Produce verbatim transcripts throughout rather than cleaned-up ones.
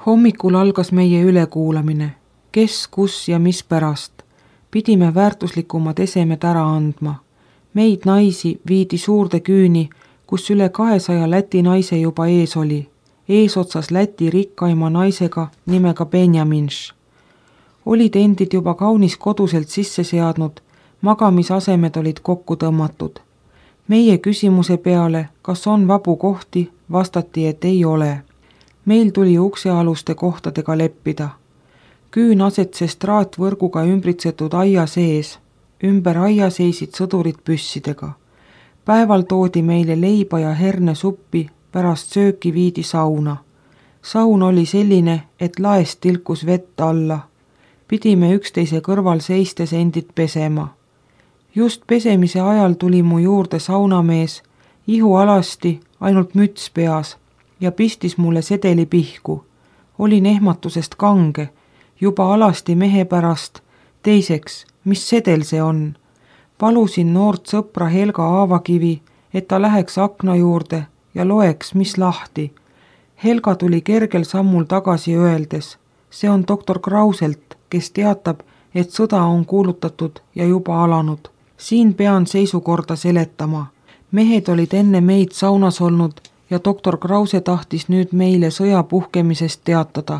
Hommikul algas meie ülekuulamine. Kes, kus ja mis pärast. Pidime väärtuslikumad esemed ära andma. Meid naisi viidi suurde küüni, kus üle kahesaja Läti naise juba ees oli. Eesotsas Läti rikkaima naisega nimega Benjaminš. Olid endid juba kaunis koduselt sisse seadnud, magamisasemed olid kokku tõmmatud. Meie küsimuse peale, kas on vabu kohti, vastati, et ei ole. Meil tuli uksealuste kohtadega leppida. Küün asetses traatvõrguga ümbritsetud aia sees. Ümber aia seisid sõdurid püssidega. Päeval toodi meile leiba ja herne suppi, pärast sööki viidi sauna. Saun oli selline, et laest tilkus vett alla. Pidime üksteise kõrval seistes endid pesema. Just pesemise ajal tuli mu juurde saunamees, ihu alasti, ainult müts peas ja pistis mulle sedeli pihku. Olin ehmatusest kange, juba alasti mehe pärast. Teiseks, mis sedel see on? Palusin noort sõpra Helga Aavakivi, et ta läheks akna juurde ja loeks, mis lahti. Helga tuli kergel sammul tagasi öeldes. See on doktor Krauselt, kes teatab, et sõda on kuulutatud ja juba alanud. Siin pean seisukorda seletama. Mehed olid enne meid saunas olnud ja doktor Krause tahtis nüüd meile sõja puhkemisest teatada.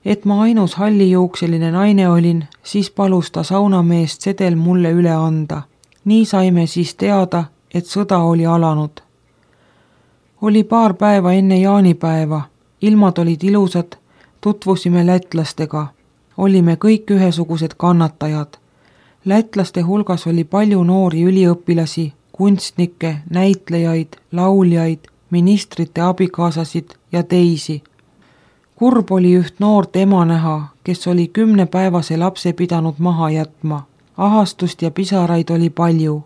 Et ma ainus hallijuukseline naine olin, siis palus ta saunameest sedel mulle üle anda. Nii saime siis teada, et sõda oli alanud. Oli paar päeva enne jaanipäeva. Ilmad olid ilusad, tutvusime lätlastega. Olime kõik ühesugused kannatajad. Lätlaste hulgas oli palju noori üliõpilasi, kunstnikke, näitlejaid, lauljaid, ministrite abikaasasid ja teisi. Kurb oli üht noort ema näha, kes oli kümnepäevase lapse pidanud maha jätma. Ahastust ja pisaraid oli palju.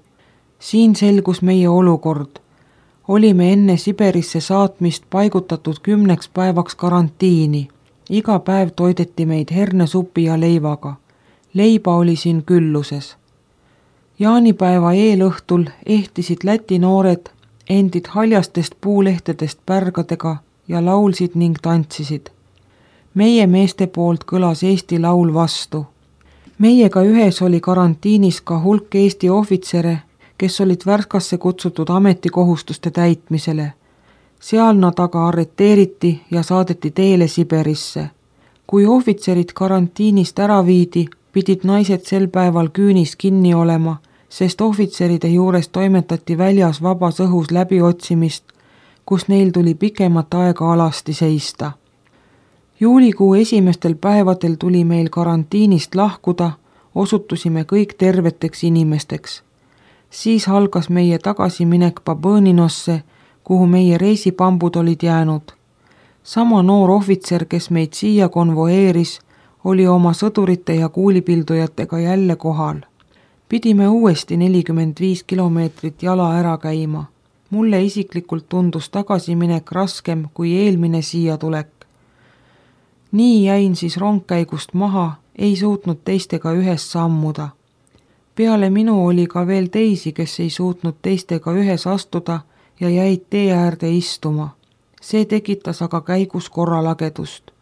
Siin selgus meie olukord. Olime enne Siberisse saatmist paigutatud kümneks päevaks karantiini. Iga päev toideti meid hernesupi ja leivaga. Leiba oli siin külluses. Jaanipäeva eelõhtul ehtisid Läti noored endid haljastest puulehtedest pärgadega ja laulsid ning tantsisid. Meie meeste poolt kõlas Eesti laul vastu. Meiega ühes oli karantiinis ka hulk Eesti ohvitsere, kes olid Värskasse kutsutud ametikohustuste täitmisele. Seal nad aga arreteeriti ja saadeti teele Siberisse. Kui ohvitserid karantiinist ära viidi, pidid naised sel päeval küünis kinni olema, sest ohvitseride juures toimetati väljas vabas õhus läbiotsimist, kus neil tuli pikemat aega alasti seista. Juulikuu esimestel päevadel tuli meil karantiinist lahkuda, osutusime kõik terveteks inimesteks. Siis algas meie tagasiminek Babõninosse, kuhu meie reisipambud olid jäänud. Sama noor ohvitser, kes meid siia konvoeeris, oli oma sõdurite ja kuulipildujatega jälle kohal. Pidime uuesti nelikümmend viis kilomeetrit jala ära käima. Mulle isiklikult tundus tagasiminek raskem kui eelmine siia tulek. Nii jäin siis rongkäigust maha, ei suutnud teistega ühes sammuda. Peale minu oli ka veel teisi, kes ei suutnud teistega ühes astuda ja jäid tee äärde istuma. See tekitas aga käigus korralagedust.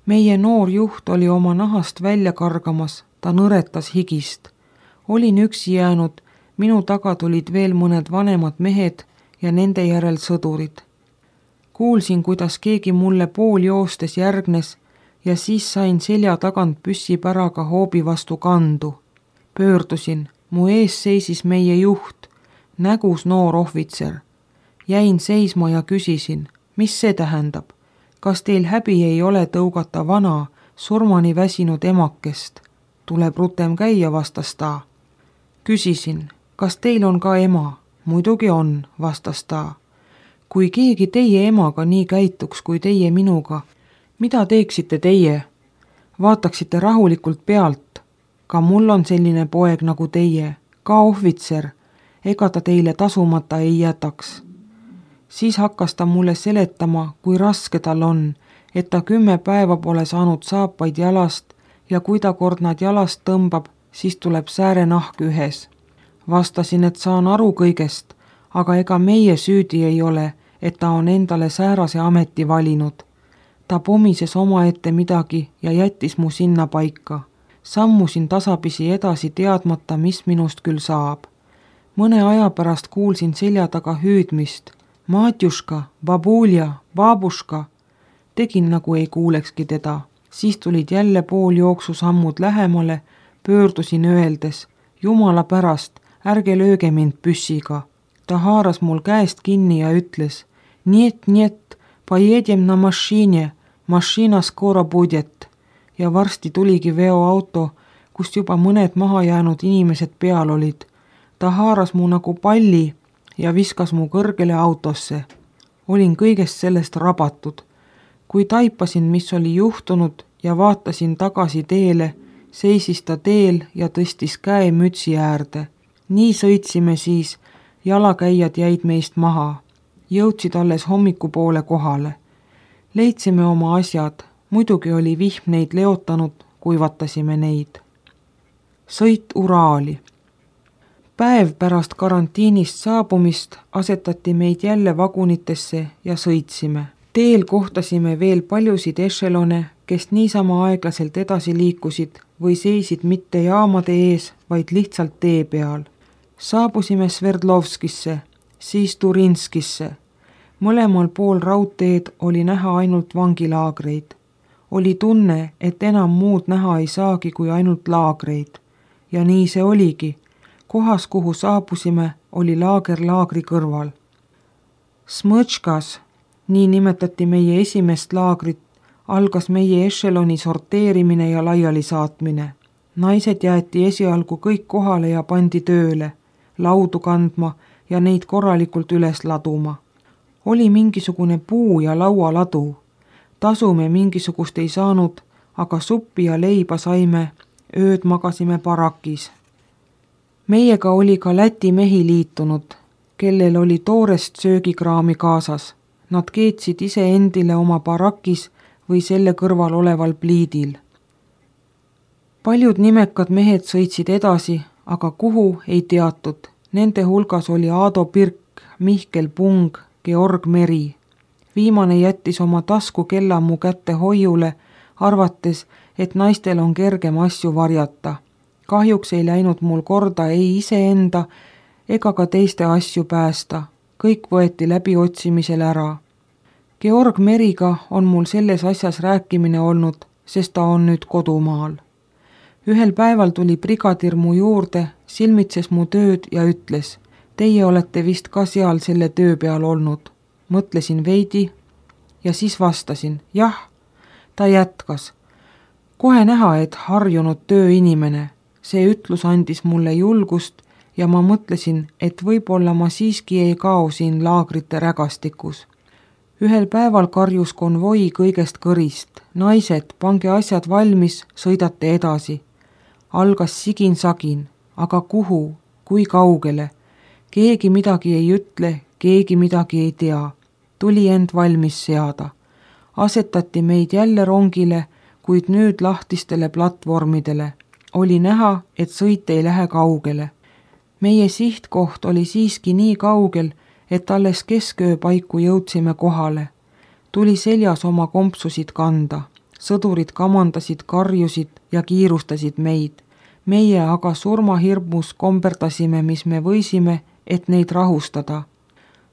Meie noor juht oli oma nahast välja kargamas, ta nõretas higist. Olin üksi jäänud, minu taga tulid veel mõned vanemad mehed ja nende järel sõdurid. Kuulsin, kuidas keegi mulle pool joostes järgnes ja siis sain selja tagant püssipäraga hoobi vastu kandu. Pöördusin, mu ees seisis meie juht, nägus noor ohvitser. Jäin seisma ja küsisin, mis see tähendab? Kas teil häbi ei ole tõugata vana, surmani väsinud emakest? Tuleb rutem käia, vastas ta. Küsisin, kas teil on ka ema? Muidugi on, vastas ta. Kui keegi teie emaga nii käituks kui teie minuga, mida teeksite teie? Vaataksite rahulikult pealt. Ka mul on selline poeg nagu teie, ka ohvitser, ega ta teile tasumata ei jätaks. Siis hakkas ta mulle seletama, kui raske tal on, et ta kümme päeva pole saanud saapaid jalast ja kui ta kord nad jalast tõmbab, siis tuleb säärenahk ühes. Vastasin, et saan aru kõigest, aga ega meie süüdi ei ole, et ta on endale säärase ameti valinud. Ta pomises omaette midagi ja jättis mu sinna paika. Sammusin tasapisi edasi teadmata, mis minust küll saab. Mõne aja pärast kuulsin selja taga hüüdmist. Matjuška, babulja, babuška. Tegin nagu ei kuulekski teda. Siis tulid jälle pool jooksu sammud lähemale, pöördusin öeldes. Jumala pärast, ärge lööge mind püssiga. Ta haaras mul käest kinni ja ütles. Niet, niet, pojedem na mašine, mašina skoro budjet. Ja varsti tuligi veoauto, kust juba mõned maha jäänud inimesed peal olid. Ta haaras mu nagu palli ja viskas mu kõrgele autosse. Olin kõigest sellest rabatud. Kui taipasin, mis oli juhtunud ja vaatasin tagasi teele, seisis ta teel ja tõstis käe mütsi äärde. Nii sõitsime siis, jalakäijad jäid meist maha. Jõudsid alles hommikupoole kohale. Leidsime oma asjad, muidugi oli vihm neid leotanud, kuivatasime neid. Sõit Uraali. Päev pärast karantiinist saabumist asetati meid jälle vagunitesse ja sõitsime. Teel kohtasime veel paljusid ešelone, kes niisama aeglaselt edasi liikusid või seisid mitte jaamade ees, vaid lihtsalt tee peal. Saabusime Sverdlovskisse, siis Turinskisse. Mõlemal pool raudteed oli näha ainult vangilaagreid. Oli tunne, et enam muud näha ei saagi kui ainult laagreid. Ja nii see oligi. Kohas, kuhu saabusime, oli laager laagri kõrval. Smõčkas, nii nimetati meie esimest laagrit, algas meie ešeloni sorteerimine ja laiali saatmine. Naised jäeti esialgu kõik kohale ja pandi tööle, laudu kandma ja neid korralikult üles laduma. Oli mingisugune puu- ja laualadu. Tasume mingisugust ei saanud, aga suppi ja leiba saime, ööd magasime barakis. Meiega oli ka Läti mehi liitunud, kellel oli toorest söögikraami kaasas. Nad keetsid ise endile oma barakis või selle kõrval oleval pliidil. Paljud nimekad mehed sõitsid edasi, aga kuhu ei teatud. Nende hulgas oli Aado Pirk, Mihkel Pung, Georg Meri. Viimane jättis oma tasku kella mu kätte hoiule, arvates, et naistel on kergem asju varjata. Kahjuks ei läinud mul korda ei iseenda ega ka teiste asju päästa. Kõik võeti läbi otsimisel ära. Georg Meriga on mul selles asjas rääkimine olnud, sest ta on nüüd kodumaal. Ühel päeval tuli brigadir mu juurde, silmitses mu tööd ja ütles, teie olete vist ka seal selle töö peal olnud. Mõtlesin veidi ja siis vastasin, jah. Ta jätkas. Kohe näha, et harjunud tööinimene. See ütlus andis mulle julgust ja ma mõtlesin, et võib-olla ma siiski ei kao siin laagrite rägastikus. Ühel päeval karjus konvoi kõigest kõrist. Naised, pange asjad valmis, sõidate edasi. Algas sigin-sagin, aga kuhu, kui kaugele? Keegi midagi ei ütle, keegi midagi ei tea. Tuli end valmis seada. Asetati meid jälle rongile, kuid nüüd lahtistele platvormidele. Oli näha, et sõit ei lähe kaugele. Meie sihtkoht oli siiski nii kaugel, et alles kesköö paiku jõudsime kohale. Tuli seljas oma kompsusid kanda. Sõdurid kamandasid, karjusid ja kiirustasid meid. Meie aga surmahirmus komberdasime, mis me võisime, et neid rahustada.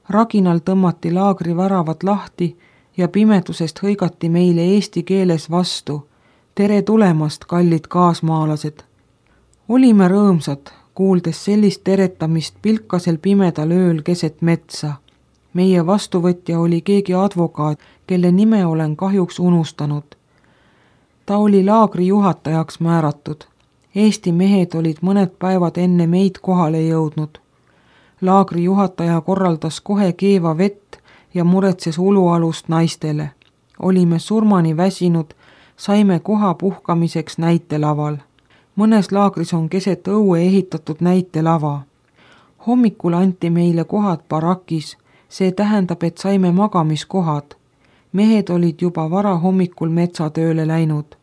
Raginal tõmmati laagri väravad lahti ja pimedusest hõigati meile eesti keeles vastu. Tere tulemast, kallid kaasmaalased! Olime rõõmsad, kuuldes sellist teretamist pilkasel pimedal ööl keset metsa. Meie vastuvõtja oli keegi advokaat, kelle nime olen kahjuks unustanud. Ta oli laagri juhatajaks määratud. Eesti mehed olid mõned päevad enne meid kohale jõudnud. Laagri juhataja korraldas kohe keeva vett ja muretses ulualust naistele. Olime surmani väsinud, saime koha puhkamiseks näitelaval. Mõnes laagris on keset õue ehitatud näitelava. Hommikul anti meile kohad barakis, see tähendab, et saime magamiskohad. Mehed olid juba vara hommikul metsatööle läinud.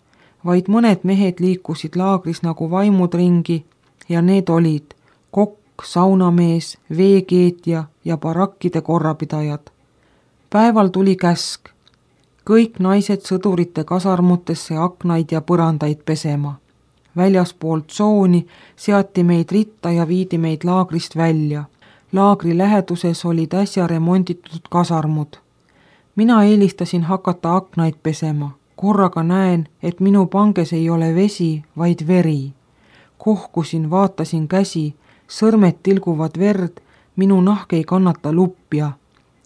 Vaid mõned mehed liikusid laagris nagu vaimud ringi ja need olid kokk, saunamees, veekeetja ja barakkide korrapidajad. Päeval tuli käsk. kõik naised sõdurite kasarmutesse aknaid ja põrandaid pesema. Väljaspoolt tsooni seati meid ritta ja viidi meid laagrist välja. Laagri läheduses olid äsja remonditud kasarmud. Mina eelistasin hakata aknaid pesema. Korraga näen, et minu panges ei ole vesi, vaid veri. Kohkusin, vaatasin käsi, sõrmed tilguvad verd, minu nahk ei kannata luppja.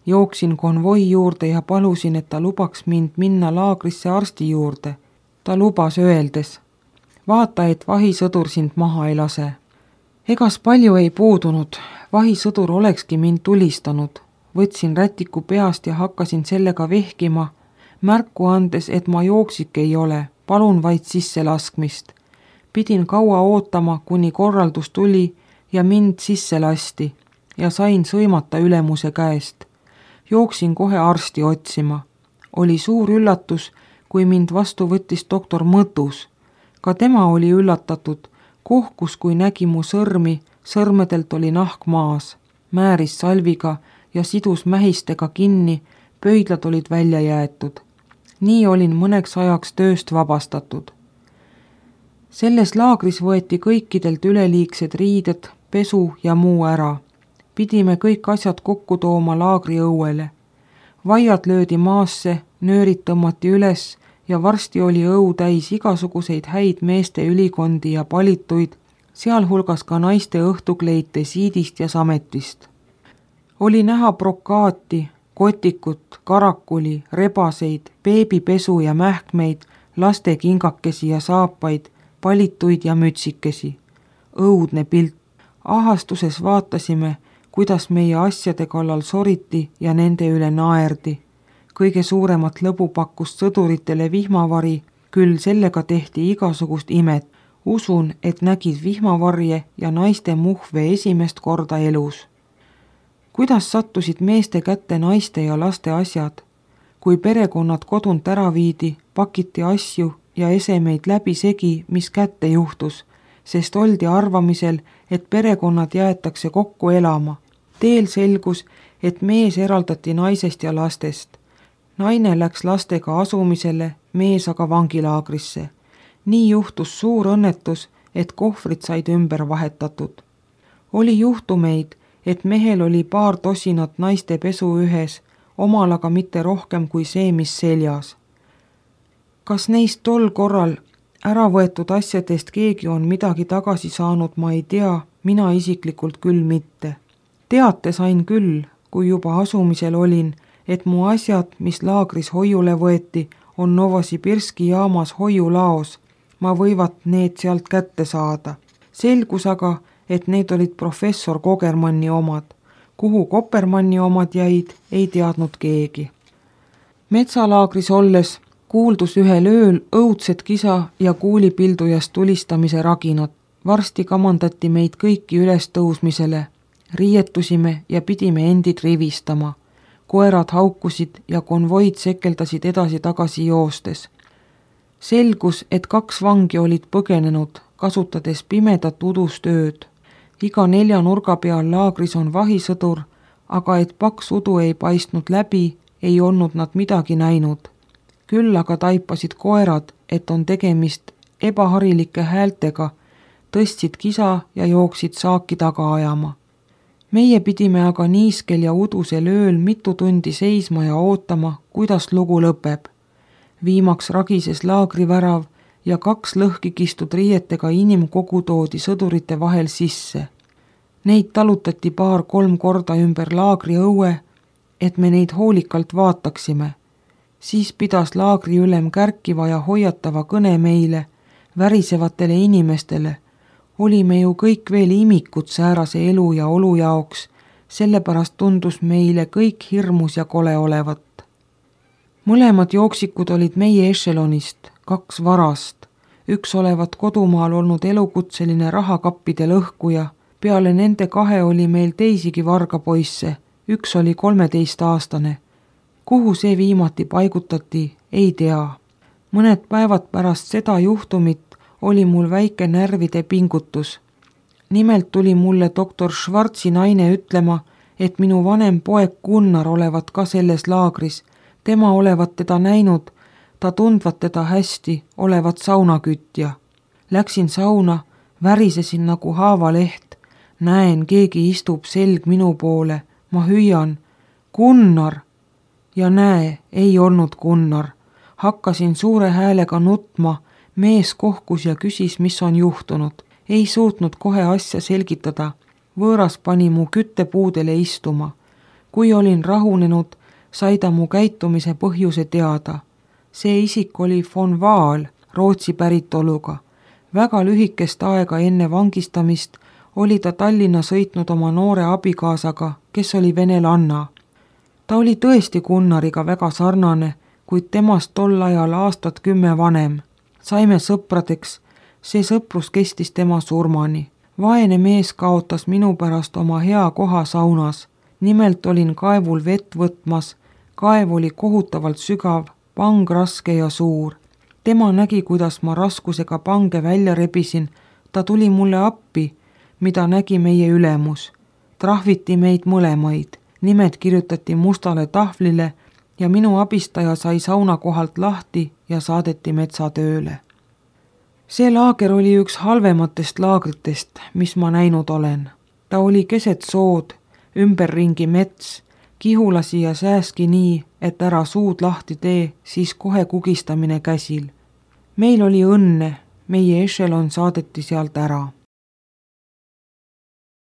Jooksin konvoi juurde ja palusin, et ta lubaks mind minna laagrisse arsti juurde. Ta lubas öeldes, vaata, et vahisõdur sind maha ei lase. Egas palju ei puudunud, vahisõdur olekski mind tulistanud. Võtsin rätiku peast ja hakkasin sellega vehkima, märku andes, et ma jooksik ei ole, palun vaid sisse laskmist. Pidin kaua ootama, kuni korraldus tuli ja mind sisse lasti ja sain sõimata ülemuse käest. Jooksin kohe arsti otsima. Oli suur üllatus, kui mind vastu võttis doktor Mõtus. Ka tema oli üllatatud, kohkus, kui nägi mu sõrmi, sõrmedelt oli nahk maas, määris salviga ja sidus mähistega kinni, pöidlad olid välja jäetud. Nii olin mõneks ajaks tööst vabastatud. Selles laagris võeti kõikidelt üleliigsed riided, pesu ja muu ära. Pidime kõik asjad kokku tooma laagri õuele. Vaiad löödi maasse, nöörid tõmmati üles ja varsti oli õu täis igasuguseid häid meeste ülikondi ja palituid, sealhulgas ka naiste õhtukleite siidist ja sametist. Oli näha brokaati, kotikut, karakuli, rebaseid, beebipesu ja mähkmeid, laste kingakesi ja saapaid, palituid ja mütsikesi. Õudne pilt. Ahastuses vaatasime, kuidas meie asjade kallal soriti ja nende üle naerdi. Kõige suuremat lõbu pakkus sõduritele vihmavari, küll sellega tehti igasugust imet. Usun, et nägid vihmavarje ja naiste muhve esimest korda elus. Kuidas sattusid meeste kätte naiste ja laste asjad? Kui perekonnad kodunt ära viidi, pakiti asju ja esemeid läbi segi, mis kätte juhtus, sest oldi arvamisel, et perekonnad jäetakse kokku elama. Teel selgus, et mees eraldati naisest ja lastest. Naine läks lastega asumisele, mees aga vangilaagrisse. Nii juhtus suur õnnetus, et kohvrid said ümber vahetatud. Oli juhtumeid, et mehel oli paar tosinat naiste pesu ühes, omal aga mitte rohkem kui see, mis seljas. Kas neist tol korral ära võetud asjadest keegi on midagi tagasi saanud, ma ei tea, mina isiklikult küll mitte. Teate sain küll, kui juba asumisel olin, et mu asjad, mis laagris hoiule võeti, on Novosibirski jaamas hoiulaos. Ma võivat need sealt kätte saada. Selgus aga, et need olid professor Kogermanni omad. Kuhu Kopermanni omad jäid, ei teadnud keegi. Metsalaagris olles kuuldus ühel ööl õudset kisa ja kuulipildujast tulistamise raginat. Varsti kamandati meid kõiki üles tõusmisele. Riietusime ja pidime endid rivistama. Koerad haukusid ja konvoid sekeldasid edasi-tagasi joostes. Selgus, et kaks vangi olid põgenenud, kasutades pimedat udustööd. Iga nelja nurga peal laagris on vahisõdur, aga et paks udu ei paistnud läbi, ei olnud nad midagi näinud. Küll aga taipasid koerad, et on tegemist ebaharilike häältega, tõstsid kisa ja jooksid saaki taga ajama. Meie pidime aga niiskel ja udusel ööl mitu tundi seisma ja ootama, kuidas lugu lõpeb. Viimaks ragises laagrivärav ja kaks lõhki kistud riietega inimkogu toodi sõdurite vahel sisse. Neid talutati paar-kolm korda ümber laagri õue, et me neid hoolikalt vaataksime. Siis pidas laagri ülem kärkiva ja hoiatava kõne meile, värisevatele inimestele. Olime ju kõik veel imikud säärase elu ja olu jaoks, sellepärast tundus meile kõik hirmus ja kole olevat. Mõlemad jooksikud olid meie ešelonist, kaks varast. Üks olevat kodumaal olnud elukutseline rahakappide lõhkuja. Peale nende kahe oli meil teisigi vargapoisse, üks oli kolmeteistaastane. Kuhu see viimati paigutati, ei tea. Mõned päevad pärast seda juhtumit oli mul väike närvide pingutus. Nimelt tuli mulle doktor Schwarzi naine ütlema, et minu vanem poeg Gunnar olevat ka selles laagris. Tema olevat teda näinud, ta tundvat teda hästi, olevat saunakütja. Läksin sauna, värisesin nagu haavaleht. Näen, keegi istub selg minu poole. Ma hüüan, Gunnar! Ja näe, ei olnud Gunnar. Hakkasin suure häälega nutma, mees kohkus ja küsis, mis on juhtunud. Ei suutnud kohe asja selgitada. Võõras pani mu küttepuudele istuma. Kui olin rahunenud, sai ta mu käitumise põhjuse teada. See isik oli von Vaal, Rootsi päritoluga. Väga lühikest aega enne vangistamist oli ta Tallinna sõitnud oma noore abikaasaga, kes oli venelanna. Ta oli tõesti Gunnariga väga sarnane, kuid temast tol ajal aastat kümme vanem. Saime sõpradeks, see sõprus kestis tema surmani. Vaene mees kaotas minu pärast oma hea koha saunas. Nimelt olin kaevul vett võtmas, kaev oli kohutavalt sügav, pang raske ja suur. Tema nägi, kuidas ma raskusega pange välja rebisin, ta tuli mulle appi, mida nägi meie ülemus. Trahviti meid mõlemaid, nimed kirjutati mustale tahvlile ja minu abistaja sai sauna kohalt lahti ja saadeti metsatööle. See laager oli üks halvematest laagritest, mis ma näinud olen. Ta oli keset sood, ümberringi mets, kihulasi ja sääski nii, et ära suud lahti tee, siis kohe kugistamine käsil. Meil oli õnne, meie ešelon saadeti sealt ära.